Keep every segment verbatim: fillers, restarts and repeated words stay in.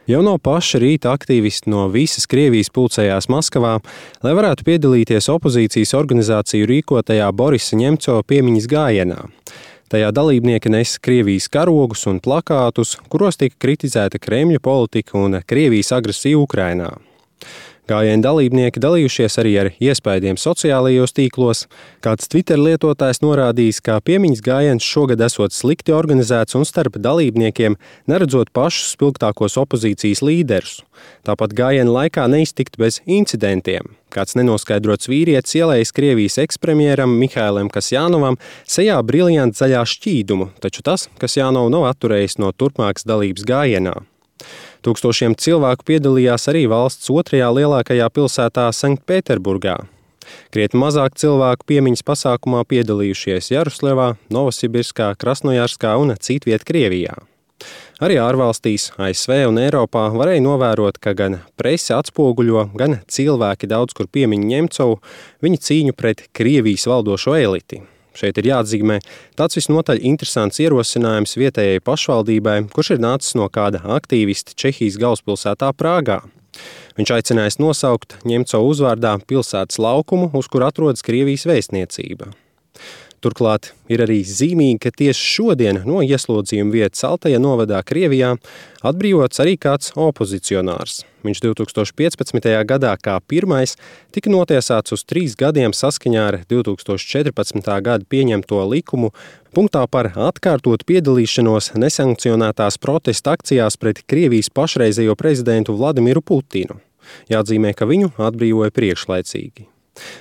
Jau no paša rīta aktīvisti no visas Krievijas pulcējās Maskavā, lai varētu piedalīties opozīcijas organizāciju rīkotajā Borisa Ņemcova piemiņas gājienā. Tajā dalībnieki nes Krievijas karogus un plakātus, kuros tika kritizēta Kremļa politika un Krievijas agresija Ukrainā. Gājiena dalībnieki dalījušies arī ar iespaidiem sociālajos tīklos. Kāds Twitter lietotājs norādījis, ka piemiņas gājiens šogad esot slikti organizēts un starp dalībniekiem neredzot pašus spilgtākos opozīcijas līderus. Tāpat gājiena laikā neiztikt bez incidentiem. Kāds nenoskaidrots vīrietis ielējis Krievijas ekspremjeram Mihailam Kasjanovam sejā briljantu zaļā šķīdumu, taču tas Kasjanovu nav atturējis no turpmākas dalības gājienā. Tūkstošiem cilvēku piedalījās arī valsts otrajā lielākajā pilsētā Sanktpēterburgā. Krietni mazāk cilvēku piemiņas pasākumā piedalījušies Jaroslavā, Novosibirskā, Krasnojarskā un citviet Krievijā. Arī ārvalstīs, A S V un Eiropā varēja novērot, ka gan prese atspoguļo, gan cilvēki daudz kur piemin Ņemcovu viņa cīņu pret Krievijas valdošo eliti. Šeit ir jāatzīmē tāds visnotaļ interesants ierosinājums vietējai pašvaldībai, kurš ir nācis no kāda aktīvista Čehijas galvaspilsētā Prāgā. Viņš aicinājis nosaukt Ņemcovu uzvārdā pilsētas laukumu, uz kur atrodas Krievijas vēstniecība. Turklāt ir arī zīmīgi, ka tieši šodien no ieslodzījuma vietas Altaja novadā Krievijā atbrīvots arī kāds opozicionārs. Viņš divtūkstoš piecpadsmitajā gadā kā pirmais tika notiesāts uz trīs gadiem saskaņā ar divtūkstoš četrpadsmitā gada pieņemto likumu punktā par atkārtotu piedalīšanos nesankcionētās protesta akcijās pret Krievijas pašreizējo prezidentu Vladimiru Putinu. Jāatzīmē, ka viņu atbrīvoja priekšlaicīgi.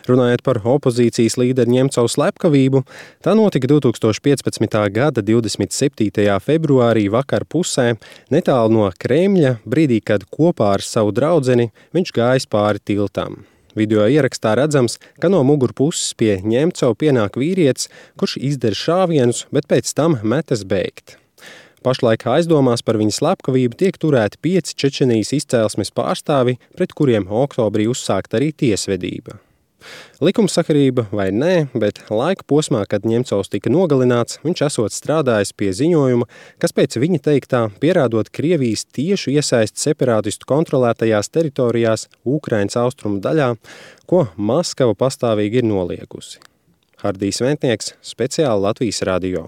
Runājot par opozīcijas līderi Ņemcova slepkavību, tā notika divtūkstoš piecpadsmitā gada divdesmit septītajā februārī vakar pusē, netālu no Kremļa, brīdī, kad kopā ar savu draudzeni viņš gājis pāri tiltam. Video ierakstā redzams, ka no mugurpuses pie Ņemcova pienāk vīrietis, kurš izdara šāvienus, bet pēc tam metas bēgt. Pašlaik aizdomās par viņa slepkavību tiek turēti pieci Čečenijas izcēlesmes pārstāvi, pret kuriem oktobrī uzsākta arī tiesvedība. Likumsakarība vai nē, bet laika posmā, kad Ņemcovs tika nogalināts, viņš esot strādājis pie ziņojuma, kas pēc viņa teiktā pierādot Krievijas tiešu iesaisti separātistu kontrolētajās teritorijās Ukrainas austrumu daļā, ko Maskava pastāvīgi ir noliekusi. Hardijs Ventnieks, speciāli Latvijas radio.